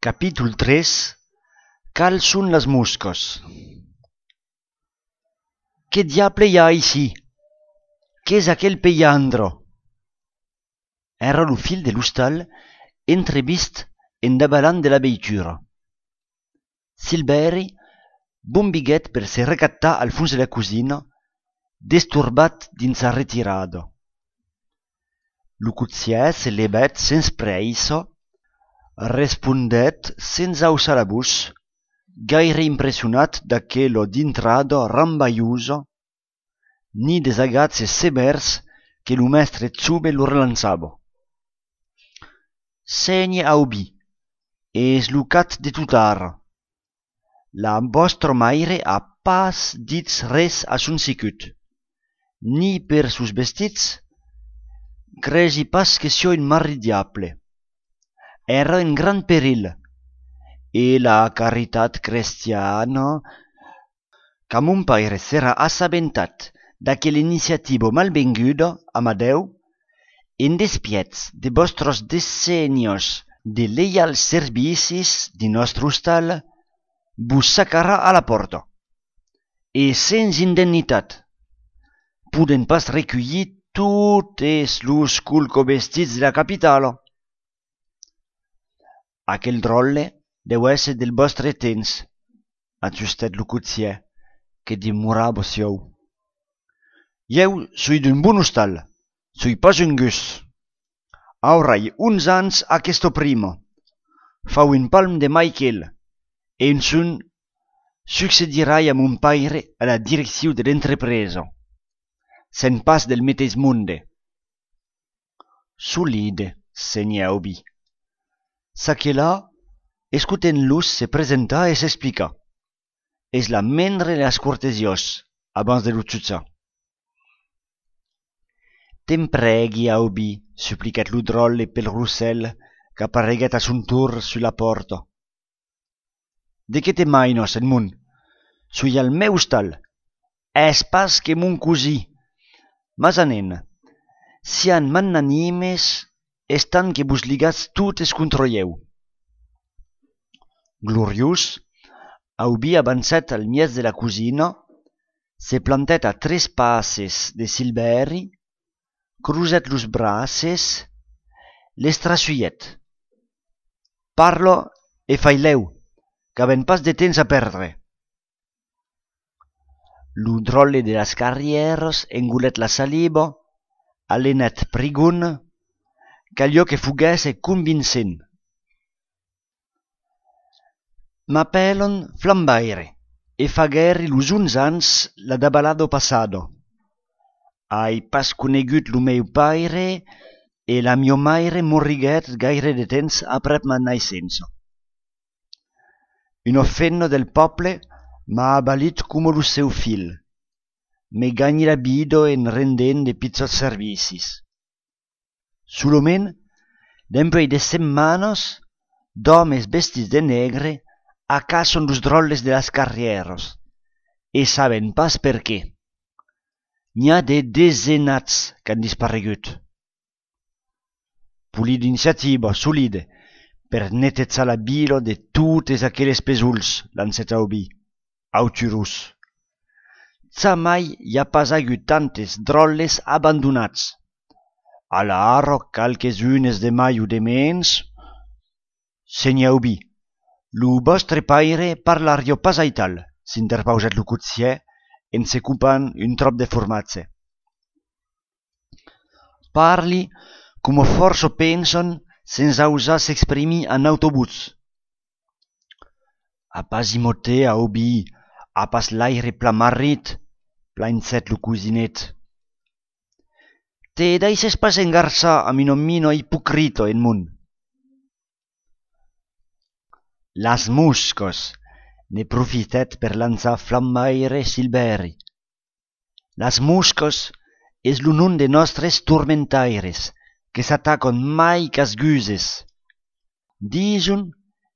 Capítol 3. Cal són les mosques? Què diable hi ha ici? Què és aquell pellandro? Era lo fil de l'hostal entrevist endavant de la veitura. Silveri bombiguet per se recattar al fons de la cosina, desturbat dins sa retirada. Lo cotzier se levet sens preissa, respondet sense alçar la bouche, gaire impressionat d'aquella dintrada rambaiosa, ni des agazzi severs que lo mestre Zube lo relançava. Segne aubi, es lo cat de tutara. La vostra maire ha pas dit res a son sicut, ni per sus vestits, cregi pas que sia un mari diable. Era en gran perill, e la caritat cristiana, que mon pare s'era assabentat d'aquella iniciativa malvenguda a Madeu, en despiets de vostres decennios de lleials servicis de nostre hostal, vos sacarà a la porta, e sens indemnitat, puden pas recollir totes los culcovestits de la capitala. Aquel drolle deu ésser del vostre temps, ajustet lo cotzier, que demorava siau. Jeu sui d'un bon hostal, sui pas un gus. Aurai 11 ans aquesto prima, fa un palm de Michael, e un son succedirai a mon pare a la direcció de l'entrepresa, sen pas del metes monde. Solide, senye Aubi. S'aquela, escuten-los se presenta e s'explica. És la mendre las cortesiós, abans de l'utxutza. Te'n pregui, Aubi, supplicat lo drolle pel rossel, qu'appareguet a son tour su la porta. De què te mainos, en mon? Sui al meu hostal. És pas que mon cosí. Masanen, sian magnanimes, estan que vos ligats totes contra jeu. Gloriós, Aubi avançat al mies de la cosina, se plantet a 3 passes de Silveri, cruzet los braces, l'estrassuiet. Parla e faileu, qu'aven pas de temps a perdre. Lo drolle de las carrieres engolet la saliva, alenet prigun, qu'allò que fuguesse convincent. M'apelon Flambaire, e fagueri los 11 ans la dabalada passada. Ai pas conegut lo meu paire, e la mio maire morriguet gaire de temps aprèp ma naissença. Un offenno del poble m'ha abalit como lo seu fil, me gagni la vida en rendent de pizzos servicis. Solament, dempuei de setmanes, d'homes vestits de negre acason los drolles de las carrieres, e saben pas per què. N'hi ha de desenats qu'han disparegut. Puli d'iniciativa solide per netetzar la bila de totes aquelles pesuls, lancet Aubi, auturus. Zamai hi ha pas hagut tantes drolles abandonats. A la ara calques unes de mai o de mens. Senye Aubi, lo vostre paire parlario pas aital, s'interpausat lo cotzier, en se cupant un trop de formatge. Parli como força pensen sense usar s'exprimir en autobús. A pas imote, Aubi, a pas l'aire plamarrit, plainzet lo cosinet. Te deixes pas engarçar a minomino hipocrito en mon. Las mosques, ne profitet per lançar Flambaire Silveri. Las mosques és lo nom de nostres turmentaires, que s'ataquen mai qu'as guses. Dison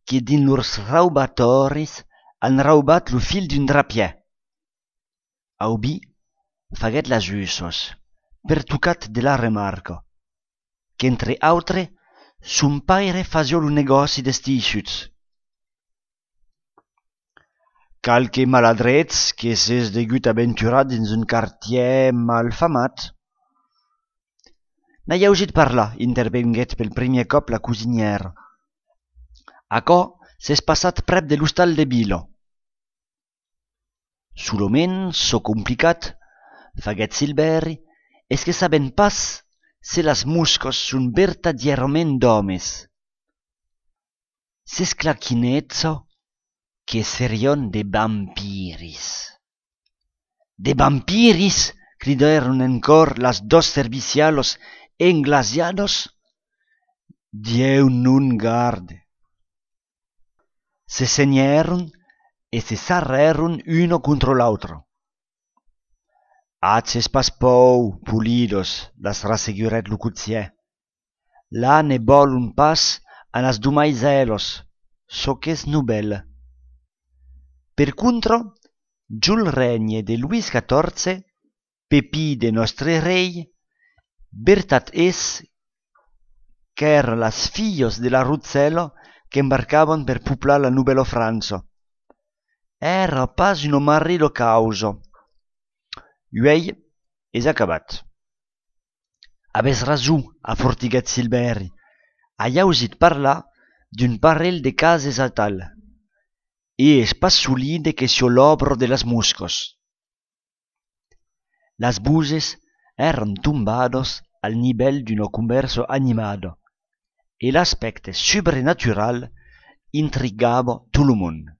que din lors raubatoris han raubat lo fil d'un drapier. Aubi faguet las ussos, pertucat de la remarca, qu'entre autre, son paire fasia lo negoci d'estisciuts, qualque maladrets que s'és degut aventurar dins un quartier malfamat. N'ai ausit parlar, intervenguet pel primer cop la cosinièra. Aquò s'és passat prep de l'hostal de Bilo. Solament, so complicat, faguet Silveri, és que saben pas se las muscos son vertadierament d'homes. S'esclaquinezzo que serion de vampiris. De vampiris, cridaron en cor las dos servicialos englasiados. Dieu nun garde. Se ceñeron e se zarreron uno contra l'altro. Haches pas pou, pulidos, las raseguret lo cutier. La ne volun pas a las dumaiselos, so qu'es nubel. Per contro, giul regne de Luis XIV, Pepi de nostre rei, vertat es qu'er las fillos de la Ruzzelo que embarcaban per puplar la Nubelo Franzo. Era pas un marrido causo. Uei és acabat. Aves rason, a fortiguet Silveri. Hai ausit parlar d'un parell de cases a tal. E es pas solide que sio l'obro de las muscos. Las buses eran tumbados al nivel d'un converso animado, e l'aspecte sobrenatural intrigava tout le monde.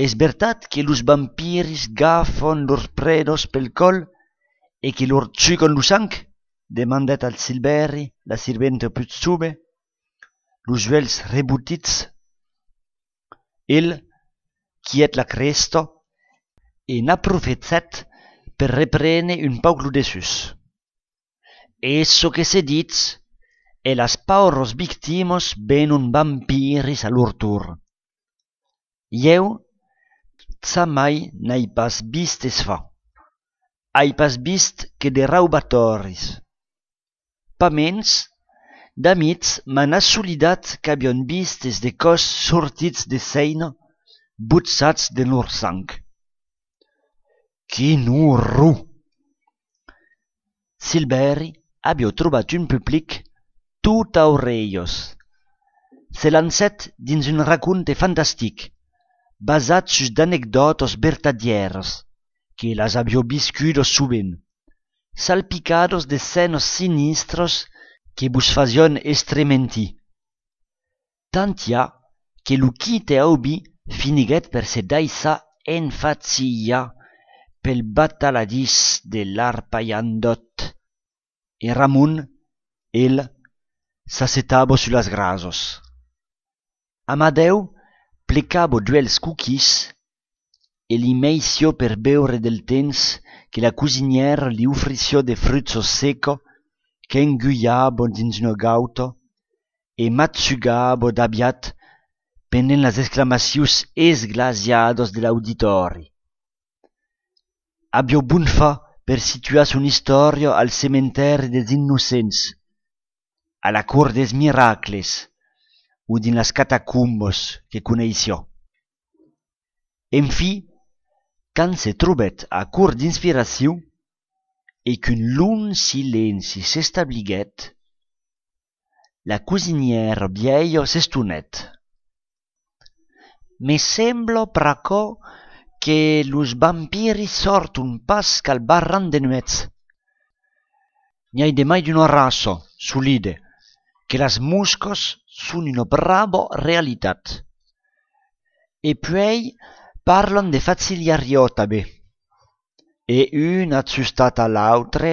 Es vertat que los vampiris gafon lors predos pel col e que lor txucon lo sang? Demandet al Silveri, la sirvente put sube, los uels rebutits. El, quiet la cresto, e n'a profetzet per reprene un pauc lo dessus. Eso que se ditz, e las pauros victimos venon vampiris a lor tour. Jeu, mai n'ai pas vist es fa. Hai pas vist que de raubatoris. Pa mens, d'amics m'han assolidat qu'havion vist es de cos sortits de seina, butsats de lor sang. Quin horror! Silveri avió trobat un public tot a orellos. Se lancet dins un raconte fantastic, basat sus d'anecdotos vertadieros, que las avió viscudos sovint, salpicados de senos sinistros que vos fazion estrementi. Tant ja que lo quite aubi finiguet per se daissa enfatzilla pel bataladís de l'arpaiandot, e Ramon, el, s'assetavo su las grasos. Amadeu plecavo duels cookies e li meisio per beure del temps que la cosinière li offrició de frutos seco que enguiabo dins un gauto e matsugabo d'aviat pendent las exclamacions esglasiados de l'auditori. Avió bon fa per situar son historia al cementeri des innocents, a la cor des miracles, ou din las catacumbos que coneició. En fi, quand se trobet a cor d'inspiració e qu'un long silenci s'establiguet, la cosinière vieille s'estonet. Me sembla pr'aquò que los vampiris sortun pas qu'al barran de nuez. N'hi de mai d'una raça solide, que las muscos son una brava realitat. E puei parlan de faciliario també. E un adsustat a l'altre.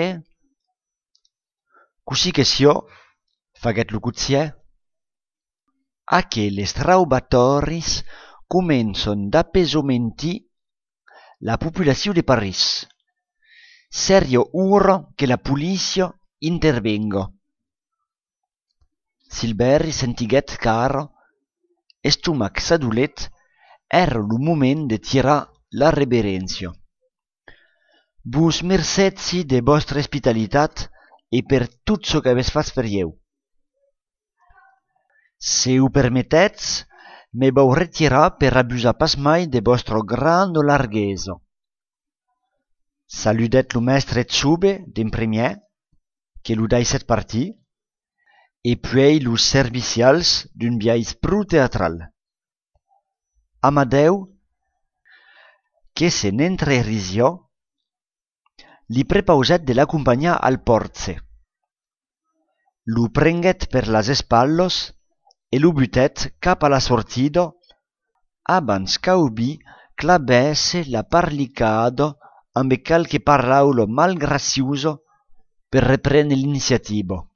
Così che sio, faguet lo cutier, a che les raubatoris començon d'apesomenti la populació de París. Serio ura que la policia intervenga. Silveri sentiguet car, estomac sadulet, era lo moment de tirar la reverència. Vos mercetsi de vostra hospitalitat e per tot çò que aves fas per jeu. Se ho permetetz, me vau retirar per abusar pas mai de vostro grando largheso. Saludet lo mestre Txube d'en primièr, que lo daisset partir, e puei los servicials d'un biais prou teatral. Amadeu, que se n'entrerisió, li prepauset de l'accompagnar al portse. Lo prenguet per las espallos e lo butet cap a la sortida abans qu'aubi clabèsse la parlicada amb calque paraulo mal graciuso per reprendre l'iniziativa.